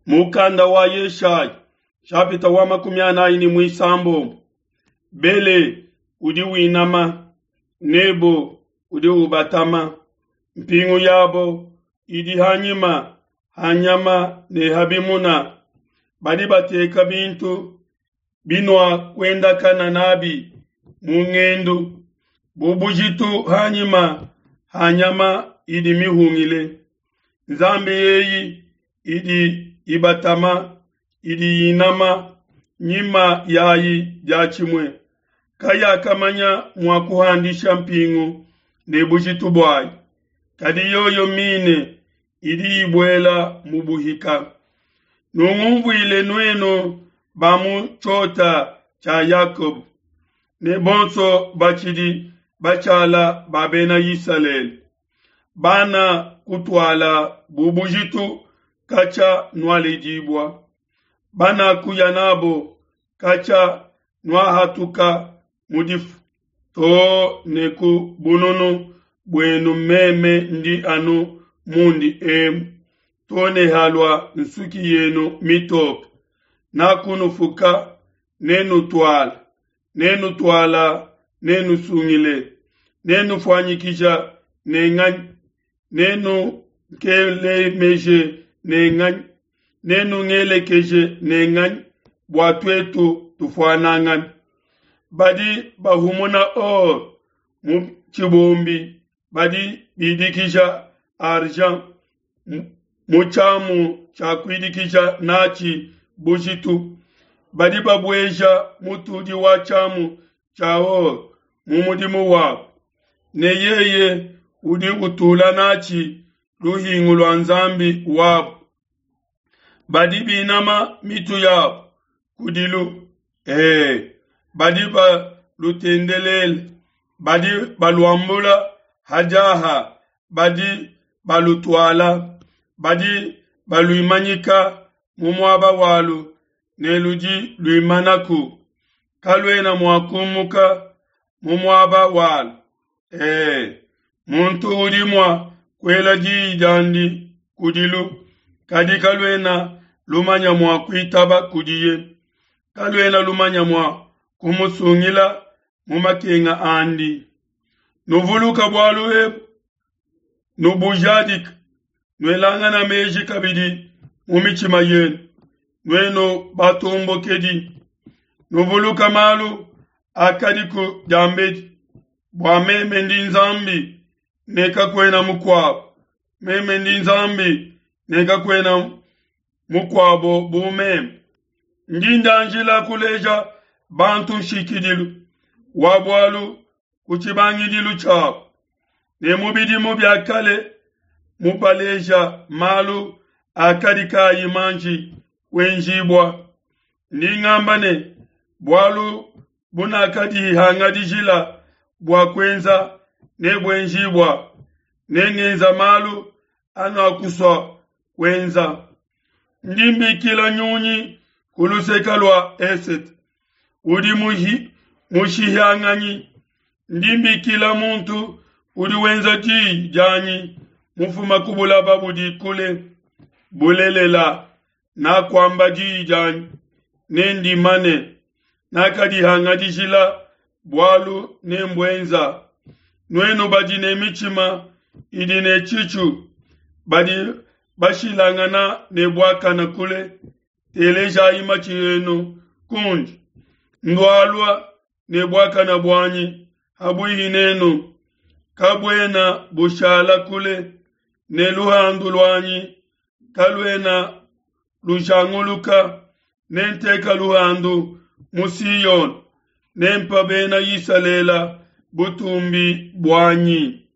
Mukanda wa Yeshaya nshapita wa 46. Bele udi winama, Nebo udi ubatama, mpingu yabo idi hanyima ha nyama ne ha bimuna. Badi bateka bintu binuakuendakana n'abi mu ngendu bu bujitu hanyima ha nyama idi mihungile. Nzambi eyi idi ibatama, idi inama nyima yayi diatshimue, kayakamanya mua kuhandisha mpingu ne bujitu buayi, kadi yoyo mine idi ibuela mu buhika. Nungumvuile nuenu ba mu tshiota tshia Yakoba, ne bonso batshidi batshala ba bena Isalele, bana kutuala bu bujitu katshia nualedibua, bana kuya nabo katshia nuahatuka mu difu, too ne ku bununu buenu meme ndi anu mundi emu, too ne halua nsuki yenu mitoke. Nakunufuka, nenutuala, nenutuala, nenusungile, nenufuanyikija ne nganyi, nenunkelemeje ne nganyi, nenungelekeje ne nganyi, bua tuetu tufuanangane. Badi bahumuna or mu tshibombi, badi bidikija argent mu tshiamu tshia kuidikija natshi bujitu. Badi babueja mutudi wa tshiamu tshia or mu mudimu wabu, ne yeye udi utula natshi luhingu lua nzambi wabu. Badi binama mitu yabu kudilu, badi balutendelela, badi baluambula hadiaha, badi balutuala, badi baluimanyika mu muaba walu, ne ludi luimanaku, kaluena mua kumuka mu muaba walu. Muntu udi mua kuela diyi diandi kudilu, kadi kaluena lumanya mua kuitaba kudiye, kaluena lumanya mua kumusungila mu makenga andi. Nuvuluka bualu ebu, nubujadika, nuelangana meji kabidi mu mitshima yenu, nuenu batombokedi. Nuvuluka malu akadiku diambedi, bua meme ndi Nzambi ne kakuena mukuabo, meme ndi Nzambi ne kakuena mukuabo bu meme. Ndi ndanjila kuleja bantu nshikidilu wa bualu ku tshibangidilu tshiabu, ne mu bidimu bia kale mubaleja malu akadi kayi manji kuenjibua. Ndi ngamba ne, bualu bunakadihangadijila bua kuenza nebuenjibua, ne ngenza malu anuakusua kuenza. Ndi mbikila nyunyi ku luseke lua esete, udi mushihanganyi. Ndi mbikila muntu udi wenza diyi dianyi mufuma ku bulaba budi kule. Bulelela, nakuamba diyi dianyi, nendimane. Nakadihangadijila bualu nembuenza. Nuenu badi ne mitshima idi ne tshitshu, badi bashilangana ne buakana kule, telejayi matshi enu kundi. Ndualua ne buakana buanyi habuihi nenu, kabuena bushala kule, ne luhandu luanyi kaluena lujanguluka. Nenteka luhandu mu Siyone, nempa bena Isalele butumbi buanyi.